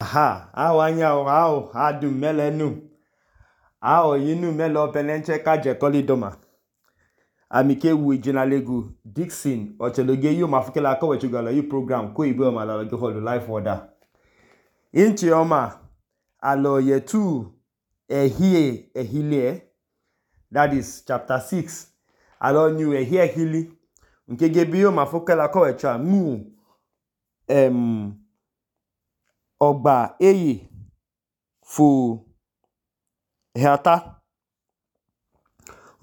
Aha, awanya ao adum melenu. Ao yinu melo penenche kaje kolidoma. Amike wu jinalegu Dixon ocheloge yu mafukela ko wechugala yu program ko ibe oma la go the life order. Inchi oma alo yetu ehile that is chapter 6. Alo new ehili. Nkege biyo mafukela ko wecha mu Ogba eye fu heata.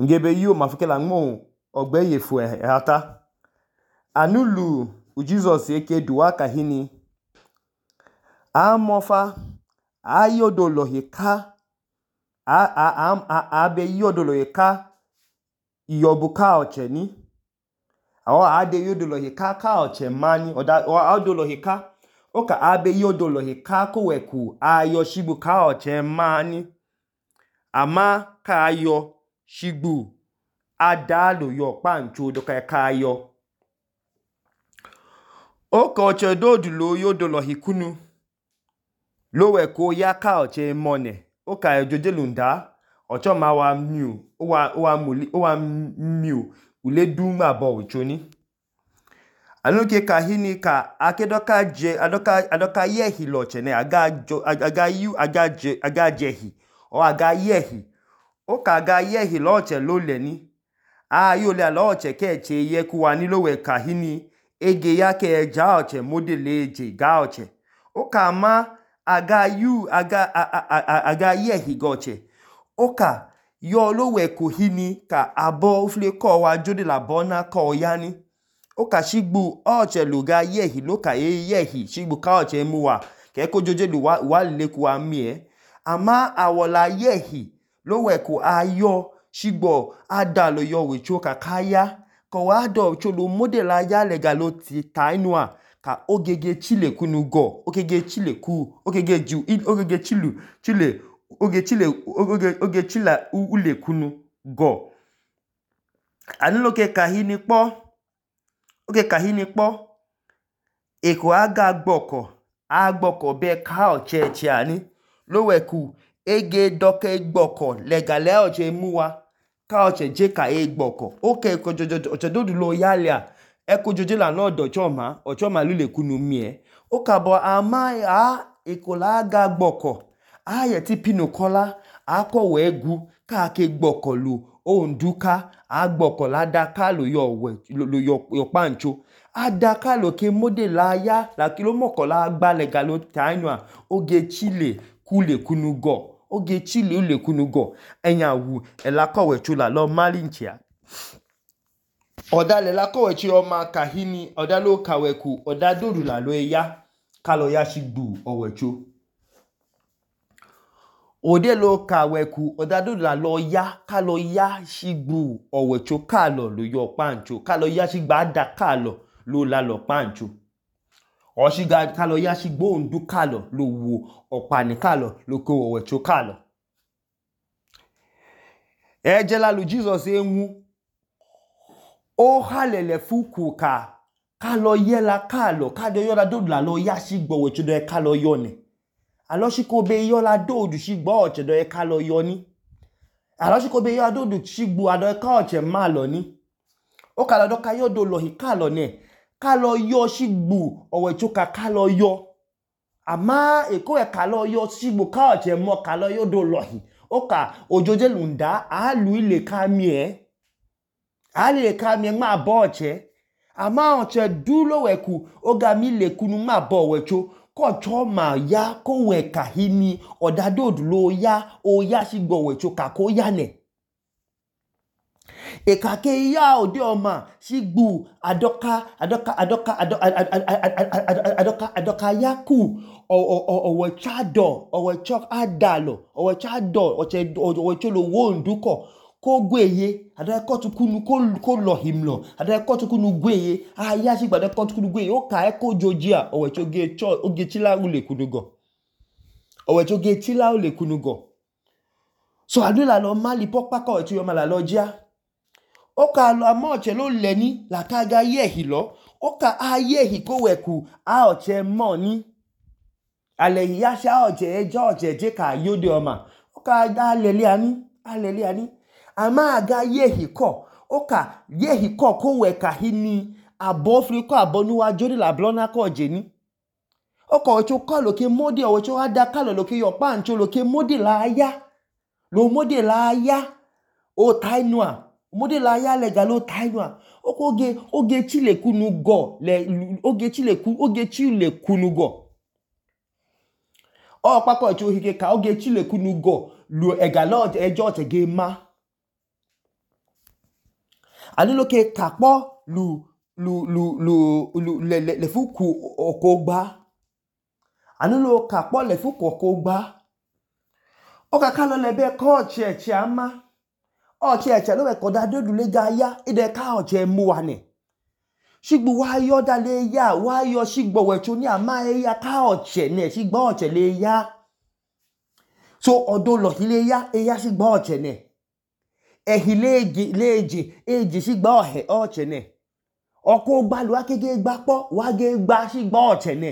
Ngebe yu mafukela ngmo ogba eye fu heata. Anulu Jesus eke duwa kahini. Amofa ayodolo heka. Abe yodolo heka yobuka ocheni. Awa ade yodolo heka ka oche mani. Oda adolo heka. Oka abe yodolo heka ko weku ayo shibu ka oche mani. Ama ka ayo shibu adalo yo pancho doka ka ayo. Oka oche dodulo yodolo hikunu. Lo weku ya ka oche mone. Oka ejojelunda. Ocho ma wa miu. Owa miu. Ule duma bo uchoni. Anuke kahini ka adoka yehi lochene aga jehi o aga yehi oka aga yehi loche loleni ayole loche keche yekuwa ni lowe kahini ege yake eja oche modele eje ga oche oka ma aga yehi goche oka yo lowe kuhini ka abo ufle ko wa jode la bona ko yani oka shigbu oche luga yehi loka yehi shigbu ka oche muwa keko joje lu wa lekuwa mie ama awola yehi loweku ayo shigbo adalo yo wicho ka kaya ko ado cholo model aya lega lo ti tainua ka ogege chile kunu go ogege chile ku ogege ju ogege chile ule kunu go anuloke kahini po oke kahini po eko aga gboko be ka oche ani loweku ege doke gboko legale oche muwa ka oche je ka gboko oke ko oche dodulo yalia eko joje la no do ochoma lule kunu mie oka bo ama eko la aga gboko aye ti pinu kola ako wegu ka ke gboko lu onduka agboko la daka lo yo pancho adaka lo ke model aya la kilo mokola agbale galo tainua oge chile kule kunu go oge chile ule kunu go enya wu elakowe chula lo malinchia oda le lakowe chi oma kahini oda lo kaweku oda dodu la lo ya kalo ya shigbu owecho ode lo kaweku oda dodu la lo ya kalo ya shigbu owecho kalo lo yo pancho kalo ya shigba ada kalo lo la lo pancho oshiga kalo ya shigbo ondu kalo lo wo opani kalo lo ko owecho kalo ejela lu Jesus enwu o halele fuku ka kalo yela kalo yola dodu la lo ya shigbo owecho do kalo yone aloshiko be yola dodu shigbo oche do kalo yoni aloshiko be yola dodu shigbo ado ka oche malo ni o kalo do ka yodo lo hi kalo ne kalo yo shigbu owecho ka kalo yo ama eko kalo yo shigbu ka oche mo kalo yodo lo hi oka ojoje lunda alu ile kamie ma bo oche ama oche dulo weku oga mi le kunu ma bo wecho ko choma ya ko we kahini odadodu lo ya o ya shigbo wecho ka ko ya ne ekake ya ode oma shigbu adoka yaku owechado owechok adalo owechado owecholo wonduko ko gweye adako tukunu ko lohimlo adako tukunu gweye aya shigba adako tukunu gweye oka eko jojia owechoge oge chila ule kunugo owechoge chila ule kunugo so adula lo mali pokpa ko etu yo mala lojia oka lo amoche lo leni la kaga yehi lo oka ayehi ko weku a oche moni Alehi ya sha ọchẹ je ka yode ọma. Oka aleli ani. Ama aga yehi kọ. Oka yehi kọ ko wẹ kahini abọ friko abọ nuwa jode la blọna kọ jeni. Oka ọwẹcho kọ loke mode ọwẹcho ada kalọ loke yọkpa ncho loke mode la ya. Lo mode la ya. O tainua. Mode la ya lega lo tainua. Oge chilekunu gọ. Oge chilekunu gọ. Ọkpakọ ọwẹcho hike ka oge chilekunu gọ. Lu egala ẹjọ ọchẹ ge ma. Ani loke kakpọ lefu ku ọkọ gba. Ani lo kakpọ lefu ku ọkọ gba. Oka kalọ lẹbẹ kọ ọchẹ ẹchẹ ama. Ọchẹ ẹchẹ lo wẹ kọda dodu lega ya. Ide ka ọchẹ mu wa nẹ. Shigbo wa yọ da le ya. Wa yọ shigbo ọwẹcho ni ama ya ka ọchẹ nẹ. Shigbo ọchẹ le ya. So ọdọ lọhi le ya. Ya shigbo ọchẹ nẹ. Ehi leje shigbo ọchẹ nẹ. Ọkọ gba lu ake ge gba kpọ. Wa ge gba shigbo ọchẹ nẹ.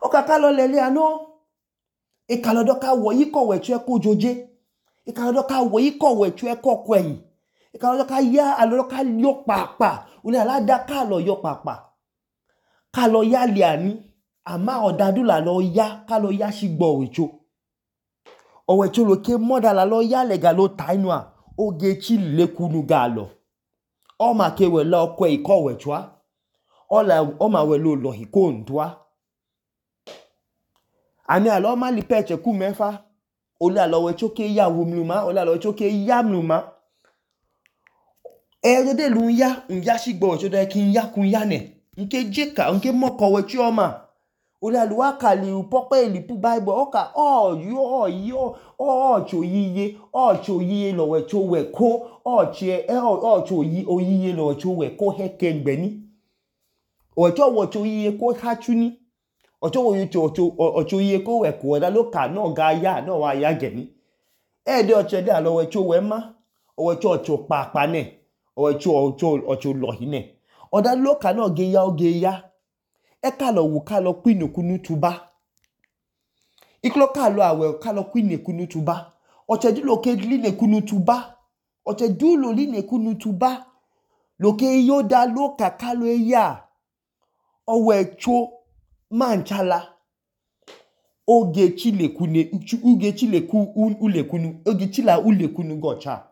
Oka kalọ lẹlẹ anọ. Ikalọdọ ka wọ yi kọ wẹcho ẹkọ joje. Ikalọdọ ka wọ yi kọ wẹcho ẹkọ kwẹyi. Ikalọdọ ka ya alọdọ ka yọ pàpà. Ule alada kalọ yọ pàpà. Kalọ ya liani. Ama ọdadu la lọ ya. Kalọ ya shigbo ọwẹcho. Ọwẹcho loke mọda la lọ ya lega lo tainua. Oge chilekunu galọ. Ọma ke wẹla ọkọ ikọ ọwẹcho a. Ọma wẹla olọhi ko ndua. Ani alọ ma lipe ẹchẹ ku mẹfa. Ole alọ wẹcho ke ya wumluma. Ole alọ wẹcho ke ya mluma. Ẹyọjọde lu ya shigbo ọwẹcho da ki ya kun ya nẹ. Nke jeka, nke mọkọ ọwẹcho ọma. Ole alọ wa kali upọkpa elipu Bible. Oka ọchọ oyiye lọwẹcho wẹ ko. Ọchọ oyiye lọwẹcho wẹ ko hẹkẹ ngbẹni. Ọchọ oyiye ko hachuni. Ọchọ oyiye ko wẹ ko ọda loka náà ga ya náà wa ya gẹni. Ẹ̀ẹ́dẹ́ ọchẹ dẹ́ alọ wẹcho wẹ ma. Ọchọ pàpà nẹ. Ọchọ lọhi nẹ. Ọda loka náà ge ya oge ya. Kalọ wu kalọ kwinekunu tuba. Iklo kalọ awẹ kalọ kwinekunu tuba. Ọchẹ du loke linekunu tuba. Ọchẹ du lo linekunu tuba. Loke yoda loka kalọ ya. Ọwẹcho manchala. Oge chileku ulekunu. Oge chila ulekunu gọcha.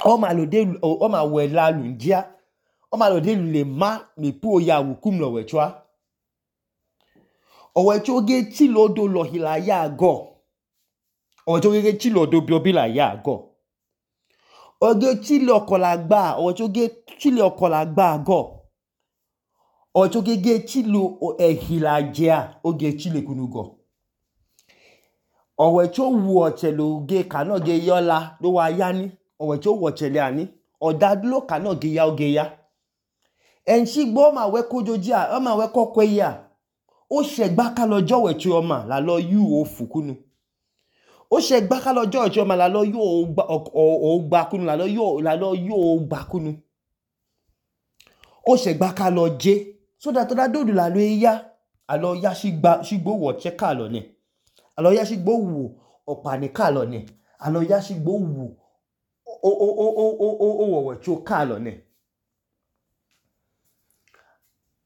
Ọma wẹla lundia. Ọma lode lule ma mepu oya wukum lọwẹcho a. Ọwẹcho oge chilo odo lọhi la ya agọ. Ọwẹcho oge chilo odo biobi la ya agọ. Oge chile ọkọ la gba. Ọwẹcho oge chile ọkọ la gba agọ. Ọwẹcho oge chilo ehi la je a. Oge chile kunu gọ. Ọwẹcho wu ọchẹ loge ka náà ge yọla lo wa ya ni. Ọwẹcho wu ọchẹ le ani. Ọda lo ka náà ge ya oge ya. Ẹnṣigbo ọma wẹ kojoji a. Ọma wẹ kọkọ yi a. O ṣẹgba kalọ jọ wẹcho ọma la lọ yu ofu kunu. O ṣẹgba kalọ jọ wẹcho ọma la lọ yu ogba kunu. La lọ yu ogba kunu. O ṣẹgba kalọ je. So that ọda dodu la lọ ya. Alọ ya shigbo wu ọchẹ kalọ nẹ. Alọ ya shigbo wu ọpani kalọ nẹ. Alọ ya shigbo wu wẹcho kalọ nẹ.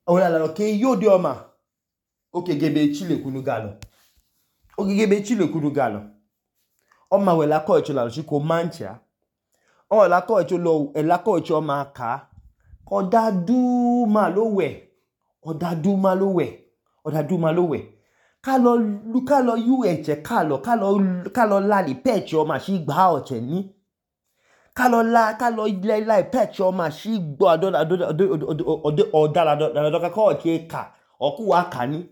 Ole alọ ke yode ọma. Oke gebe chilekunu galọ. Oke gebe chilekunu galọ. Ọma wẹla kọ ẹcho la lọ shiko mancha. Ọla kọ ẹcho lọ ẹla kọ ẹcho ọma ka. Ọda duma lo wẹ. Ọda duma lo wẹ. Ọda duma lo wẹ. Kalọ yu ẹchẹ kalọ lali pẹchẹ ọma shi gba ọchẹ ni. Kalọ la pẹchẹ ọma shi gba ọdala kọ ọchẹ ka. Ọkụ wa ka ni.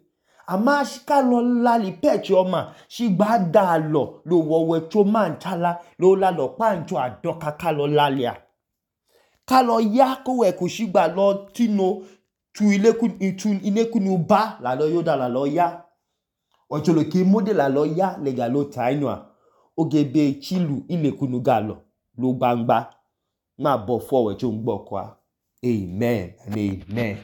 Ama kalọ lali pẹchẹ ọma shi gba da lọ lo wọwẹcho manchala lo la lọ pancho adọka kalọ lali a. Kalọ ya ko wẹ ko shi gba lọ tino tu inekunu ba la lọ yoda la lọ ya. Ọchọ loke mode la lọ ya lega lo tainua. Oge be chilu ilekunu galọ lo gbangba. Ma bọ fọ ọwẹcho ngbọkwa. Amen and amen.